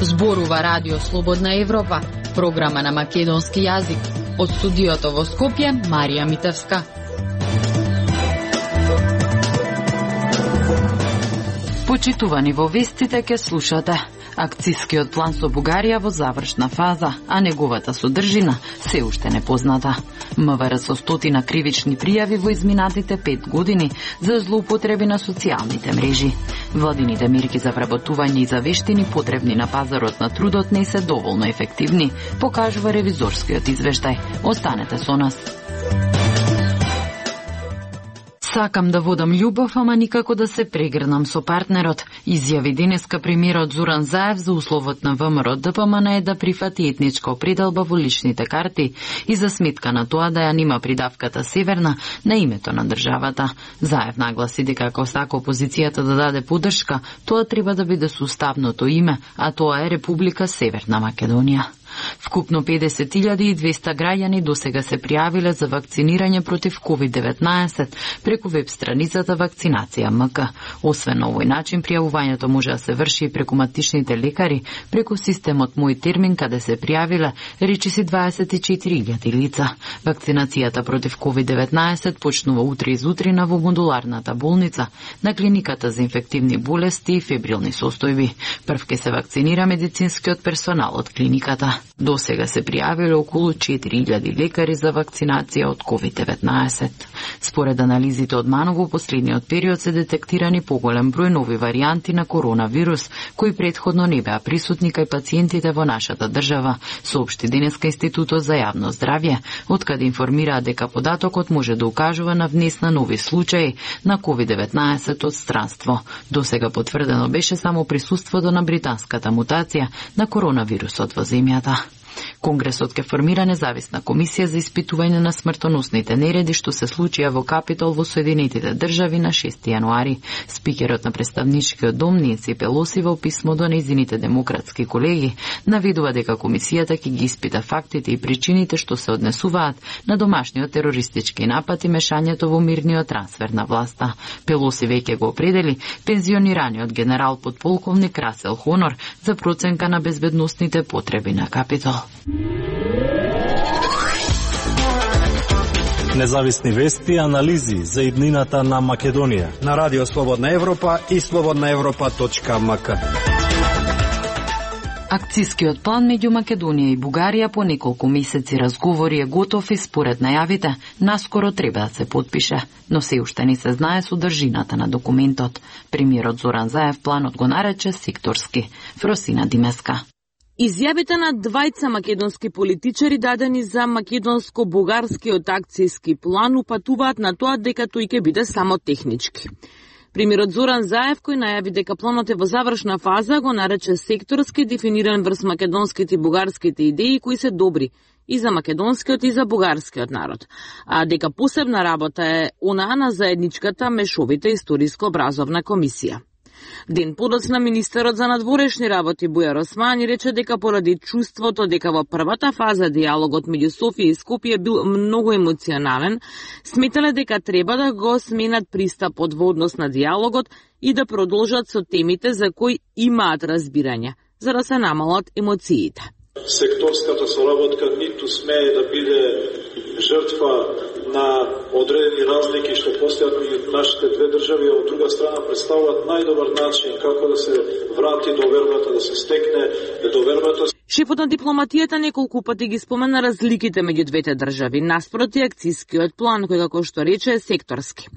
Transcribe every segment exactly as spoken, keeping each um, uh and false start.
Зборува Радио Слободна Европа, програма на македонски јазик. Од студиото во Скопје, Марија Митевска. Почитувани во вестите ке слушате. Акцискиот план со Бугарија во завршна фаза, а неговата содржина се уште непозната. МВР со стотина кривични пријави во изминатите пет години за злоупотреби на социјалните мрежи. Владините мерки за вработување и за вештини потребни на пазарот на трудот не се доволно ефективни, покажува ревизорскиот извештај. Останете со нас. Сакам да водам љубов, ама никако да се прегрнам со партнерот, изјави денеска премиерот Зоран Заев за условот на ВМРО ДПМН е да прифати етничка определба во личните карти и за сметка на тоа да ја нема придавката Северна на името на државата. Заев нагласи дека ако сака опозицијата да даде поддршка, тоа треба да биде со уставното име, а тоа е Република Северна Македонија. Вкупно педесет илјади и двесте граѓани досега се пријавиле за вакцинирање против ковид деветнаесет преку веб страницата Вакцинација МК. Освен на овој начин, пријавувањето може да се врши и преку матичните лекари, преку системот Мој термин, каде се пријавиле речиси дваесет и четири илјади лица. Вакцинацијата против ковид деветнаесет почнува утре изутрина во модуларната болница на клиниката за инфективни болести и фебрилни состојби. Прв ке се вакцинира медицинскиот персонал од клиниката. До сега се пријавиле околу четири илјади лекари за вакцинација од ковид деветнаесет. Според анализите од МАНО во последниот период се детектирани поголем број нови варијанти на коронавирус, кои претходно не беа присутни кај пациентите во нашата држава, соопшти денеска Институтот за јавно здравје, откаде информираа дека податокот може да укажува на внес на нови случаи на ковид деветнаесет од странство. До сега потврдено беше само присуството на британската мутација на коронавирусот во земјата. Конгресот ке формира независна комисија за испитување на смртоносните нереди што се случија во Капитол во Соединетите држави на шести јануари. Спикерот на представничкиот дом Ненси Пелоси во писмо до нејзините демократски колеги наведува дека комисијата ќе ги испита фактите и причините што се однесуваат на домашниот терористички напад и мешањето во мирниот трансфер на власта. Пелоси веќе го определи пензионираниот генерал подполковник Расел Хонор за проценка на безбедносните потреби на Капитол. Независни вести и анализи за иднината на Македонија на Радио Слободна Европа и слободна европа точка ем ка. Акцискиот план меѓу Македонија и Бугарија по неколку месеци разговори е готов и според најавите наскоро треба да се потпише, но се уште не се знае содржината на документот. Премиерот Зоран Заев планот го нарече секторски. Фросина Димеска. Изјавите на двајца македонски политичари дадени за македонско-бугарскиот акцијски план упатуваат на тоа дека тој ќе биде само технички. Премиерот Зоран Заев, кој најави дека планот е во завршна фаза, го нарече секторски, дефиниран врз македонските и бугарските идеи кои се добри и за македонскиот и за бугарскиот народ, а дека посебна работа е онаа на заедничката мешовита историско-образовна комисија. Ден подоцна министерот за надворешни работи Бујар Османи рече дека поради чувството дека во првата фаза диалогот меѓу Софија и Скопје бил многу емоционален, сметале дека треба да го сменат пристапот во однос на диалогот и да продолжат со темите за кои имаат разбирање, за да се намалат емоциите. Секторската соработка ниту смее да биде жртва на одредени разлики што постојат меѓу нашите две држави, а од друга страна представуваат најдобар начин како да се врати довербата, да се стекне довербата. Шефот на дипломатијата неколку пати ги спомена разликите меѓу двете држави, наспроти акцијскиот план, кој како што рече е секторски.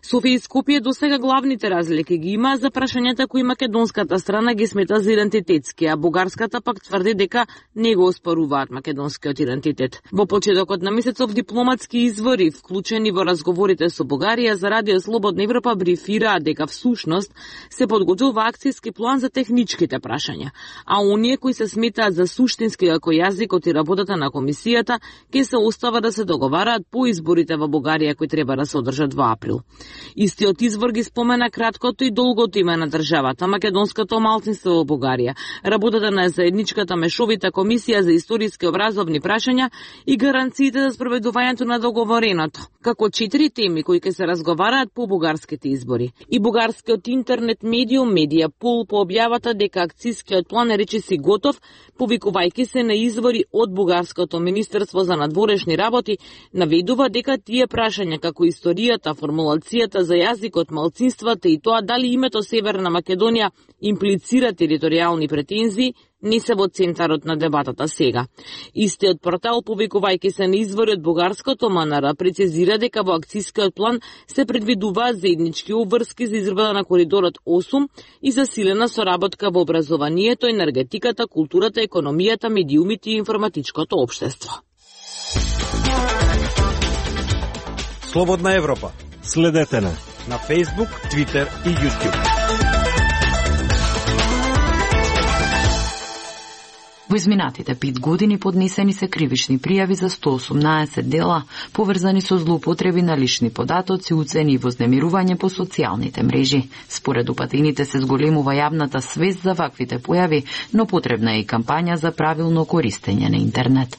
Софија и Скопје досега главните разлики ги има за прашањата кои македонската страна ги смета за идентитетски, а бугарската пак тврди дека не го оспоруваат македонскиот идентитет. Во почетокот на месецов дипломатски извори, вклучени во разговорите со Бугарија, за Радио Слободна Европа брифираа дека всушност се подготвува акцијски план за техничките прашања, а оние кои се сметаат за суштински како јазикот и работата на комисијата ќе се остава да се договараат по изборите во Бугарија кои треба да се одржат во април. Истиот извор ги спомена краткото и долгото име на државата, македонското малцинство во Бугарија, работата на заедничката мешовита комисија за историски образовни прашања и гаранциите за спроведувањето на договореното, како четири теми кои ќе се разговараат по бугарските избори. И бугарскиот интернет медиум Медиапул по објавата дека акцискиот план е речиси готов, повикувајќи се на извори од бугарското Министерство за надворешни работи, наведува дека тие прашања како историјата, формулацијата за јазикот, малцинствата и тоа дали името Северна Македонија имплицира територијални претензии, не се во центарот на дебатата сега. Истиот портал, повикувајќи се на извори од бугарското МНР, прецизира дека во акцискиот план се предвидуваат заеднички обврски за изградба на коридорот осум и засилена соработка во образованието, енергетиката, културата, економијата, медиумите и информатичкото општество. Слободна Европа. Следете на на Facebook, Twitter и YouTube. Во изминатите пет години поднесени се кривични пријави за сто осумнаесет дела, поврзани со злоупотреби на лични податоци, уцени и вознемирување по социјалните мрежи. Според упатените се зголемува јавната свест за ваквите појави, но потребна е и кампања за правилно користење на интернет.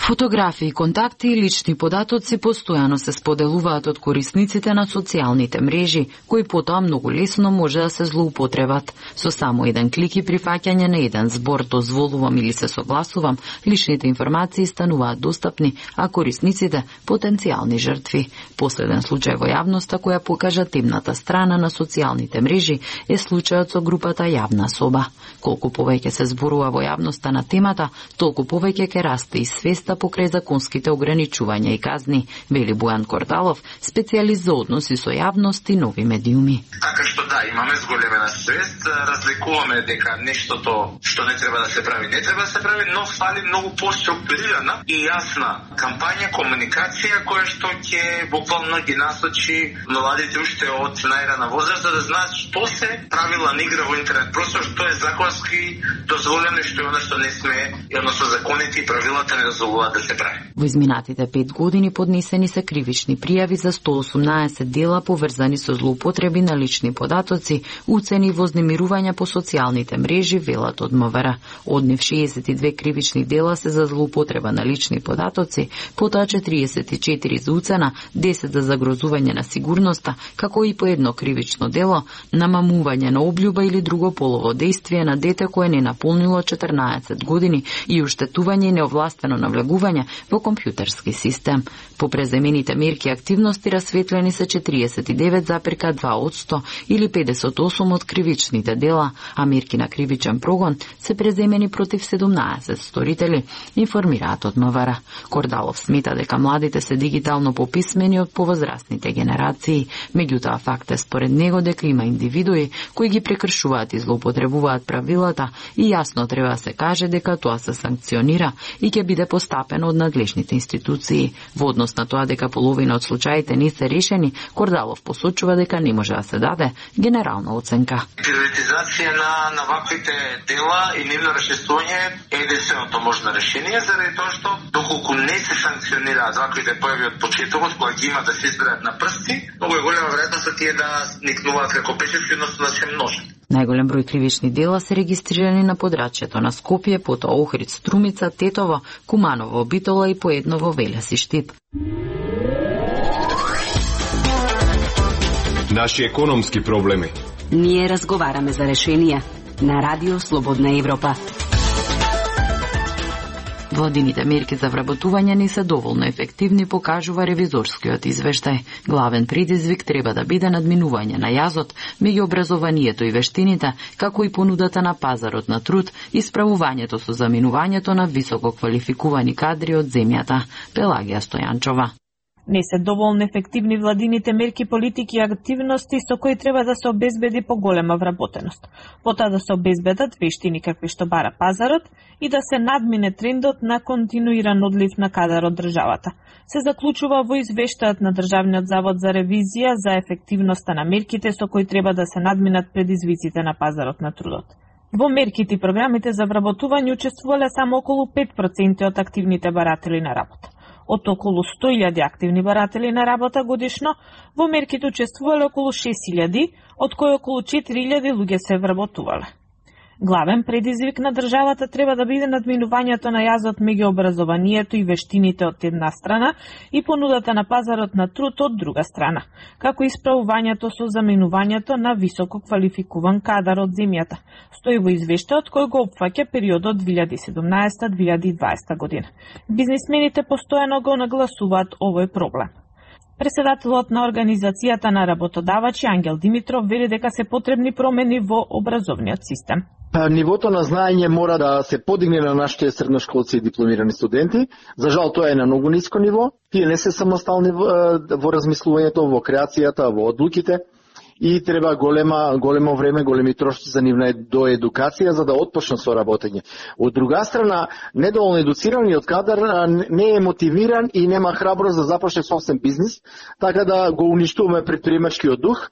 Фотографии, контакти и лични податоци постојано се споделуваат од корисниците на социјалните мрежи, кои потоа многу лесно може да се злоупотребат. Со само еден клик и прифаќање на еден збор дозволувам или се согласувам, личните информации стануваат достапни, а корисниците потенцијални жртви. Последен случај во јавноста која покажа темната страна на социјалните мрежи е случајот со групата Јавна соба. Колку повеќе се зборува во јавноста на темата, толку повеќе ќе расте и свеста покрај законските ограничувања и казни, вели Бојан Кордалов, специјалист за односи со јавност и нови медиуми. Така што да, имаме зголемена свест, разликуваме дека нештото што не треба да се прави, не треба да се прави, но фали многу поструктурирана и јасна кампања, комуникација која што ќе буквално ги насочи младите уште од најрана возраст да знаат што се правила на игра во интернет простор, што е законски дозволено и што е она што не сме, и односно законите и правилата не дозволуваат да се прави. Во изминатите пет години поднесени се кривични пријави за сто осумнаесет дела поврзани со злоупотреби на лични податоци, уцени и вознемирувања по социјалните мрежи, велат од МВР. Од нив шеесет и две кривични дела се за злоупотреба на лични податоци, потоа четириесет и четири за уцена, десет за загрозување на сигурноста, како и по едно кривично дело намамување на облјуба или друго полово дејствие на дете кое не наполнило четрнаесет години и уштетување и неовластено навлегување во компјутерски систем. По преземените мерки и активности расветлени се четириесет и девет запир два одсто или педесет и осум од кривичните дела, а мерки на кривичен прогон се преземени против седумнаесет сторители, информираат од МВР. Кордалов смета дека младите се дигитално пописмени од повозрастните генерации, меѓутоа факт е според него дека има индивидуи кои ги прекршуваат и злоупотребуваат правилата и јасно треба да се каже дека тоа се санкционира и ќе биде постапено од надлежните институции. Во однос на тоа дека половина од случаите не се решени, Кордалов посочува дека не може да се даде генерална оценка. Приоритизација на, на ваквите дела и нивно решествување е единственото можно решение, заради тоа што доколку не се санкционираат ваквите појави од почетокот, кога ги има да се изберат на прсти, многу е голема веројатност тие да никнуваат како печатки, односно да се множат. Најголем број кривични дела се регистрирани на подрачјето на Скопје, потоа Охрид, Струмица, Тетово, Куманово, Битола и поедно во Велес и Штип. Наши економски проблеми. Ние разговараме за решенија на Радио Слободна Европа. Владините мерки за вработување не се доволно ефективни, покажува ревизорскиот извештај. Главен предизвик треба да биде надминување на јазот меѓу образованието и вештините, како и понудата на пазарот на труд и справувањето со заминувањето на високо квалификувани кадри од земјата. Пелагија Стојанчова. Не се доволно ефективни владините мерки, политики и активности со кои треба да се обезбеди поголема вработеност. Потоа да се обезбедат вештини какви што бара пазарот и да се надмине трендот на континуиран одлив на кадар од државата. Се заклучува во извештајот на Државниот завод за ревизија за ефективноста на мерките со кои треба да се надминат предизвиците на пазарот на трудот. Во мерките и програмите за вработување учествувале само околу пет проценти од активните баратели на работа. Од околу сто илјади активни баратели на работа годишно, во мерките учествувале околу шест илјади, од кои околу четири илјади луѓе се вработувале. Главен предизвик на државата треба да биде надминувањето на јазот меѓу образованието и вештините од една страна и понудата на пазарот на труд од друга страна, како исправувањето со заменувањето на високо квалификуван кадар од земјата, стои во извештајот кој го опфаќа периодот две илјади и седумнаесета до две илјади и дваесета година. Бизнисмените постојано го нагласуваат овој проблем. Председателот на Организацијата на работодавачи Ангел Димитров вели дека се потребни промени во образовниот систем. Нивото на знаење мора да се подигне на нашите средношколци и дипломирани студенти. За жал тоа е на многу ниско ниво. Тие не се самостални во, во размислувањето, во креацијата, во одлуките и треба голема големо време, големи трошци за нивна до едукација за да отпочнат со работење. Од друга страна, недоволно едуцираниот кадар не е мотивиран и нема храброст да започне собствен бизнис, така да го уништуваме предприемачкиот дух.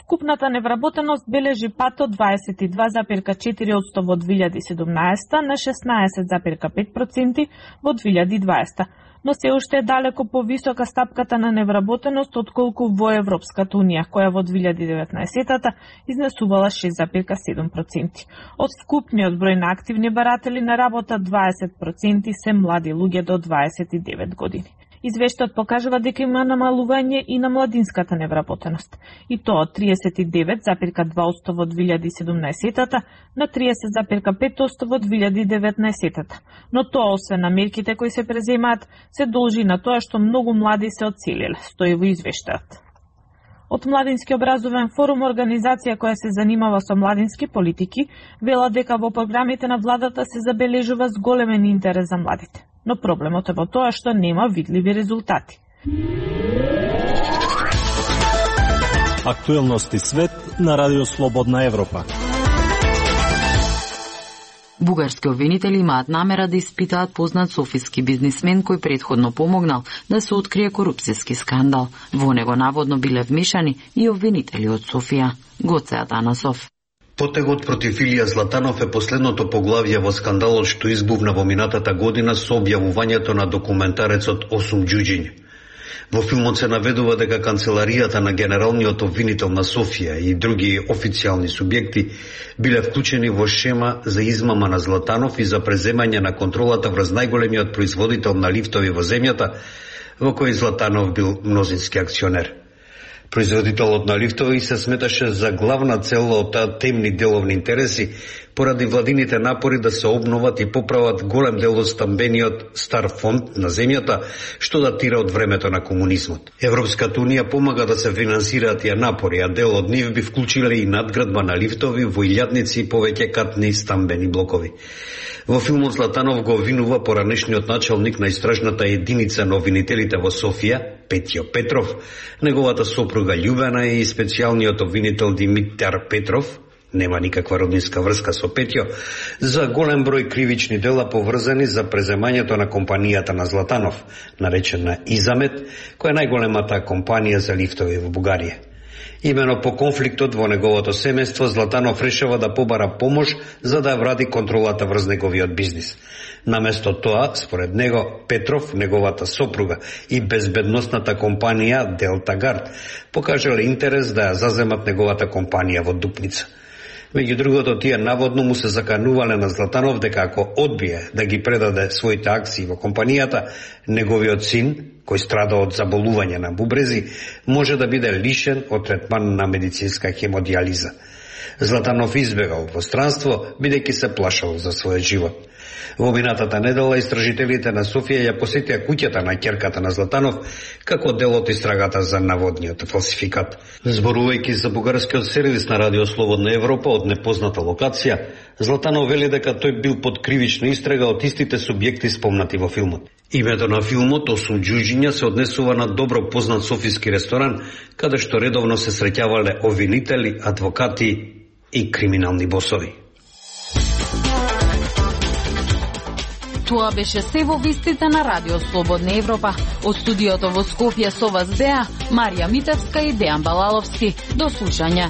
Вкупната невработеност бележи пат од дваесет и два зарез и четири одсто во две илјади и седумнаесета на шеснаесет зарез и пет проценти во две илјади и дваесета, но се уште е далеко повисока стапката на невработеност отколку во Европската унија, која во две илјади и деветнаесета изнесувала шест зарез и седум проценти. Од вкупниот број на активни баратели на работа, дваесет проценти се млади луѓе до дваесет и девет години. Извештајот покажува дека има намалување и на младинската невработеност, и тоа од триесет и девет зарез и два одсто во две илјади и седумнаесета на триесет зарез и пет одсто во две илјади и деветнаесета. Но тоа, освен на мерките кои се преземаат, се должи на тоа што многу млади се одселиле, стои во извештајот. Од Младински образовен форум, организација која се занимава со младински политики, вела дека во програмите на владата се забележува зголемен интерес за младите. Но проблемот е во тоа што нема видливи резултати. Актуелности свет на Радио Слободна Европа. Бугарски обвинители имаат намера да испитаат познат софиски бизнисмен кој претходно помогнал да се открие корупцијски скандал. Во него наводно биле вмешани и обвинители од Софија. Гоце Атанасов. Потегот против Илија Златанов е последното поглавје во скандалот што избувна во минатата година со објавувањето на документарецот осум џуџиња. Во филмот се наведува дека канцеларијата на генералниот обвинител на Софија и други официјални субјекти биле вклучени во шема за измама на Златанов и за преземање на контролата врз најголемиот производител на лифтови во земјата, во кој Златанов бил мнозински акционер. Производителот на лифтови се сметаше за главна цел од таа темни деловни интереси поради владините напори да се обноват и поправат голем дел од стамбениот стар фонд на земјата, што датира од времето на комунизмот. Европската унија помага да се финансираат тие напори, а дел од нив би вклучиле и надградба на лифтови во илјадници и повеќе катни стамбени блокови. Во филмот Златанов го обвинува поранешниот началник на истражната единица на обвинителите во Софија, Петјо Петров, неговата сопруга Љубена и специјалниот обвинител Димитар Петров, нема никаква роднинска врска со Петјо, за голем број кривични дела поврзани за преземањето на компанијата на Златанов, наречена Изамет, која е најголемата компанија за лифтови во Бугарија. Имено по конфликтот во неговото семејство, Златанов решава да побара помош за да вради контролата врз неговиот бизнис. Наместо тоа, според него, Петров, неговата сопруга и безбедносната компанија Делта Гард покажале интерес да ја заземат неговата компанија во Дупница. Меѓу другото, тие наводно му се заканувале на Златанов дека ако одбие да ги предаде своите акции во компанијата, неговиот син, кој страда од заболување на бубрези, може да биде лишен од третман на медицинска хемодиализа. Златанов избегал во странство, бидејќи се плашал за својот живот. Во минатата недела истражителите на Софија ја посетија куќата на ќерката на Златанов како дел од истрагата за наводниот фалсификат. Зборувајќи за бугарскиот сервис на Радио Слободна Европа од непозната локација, Златанов вели дека тој бил под кривична истрага од истите субјекти спомнати во филмот. Името на филмот осум џуџиња се однесува на добро познат софиски ресторан, каде што редовно се среќавале обвинители, адвокати и криминални босови. Тоа беше се во вестите на Радио Слободна Европа. Од студиото во Скопје со вас беа Марија Митевска и Дејан Балаловски. До слушање.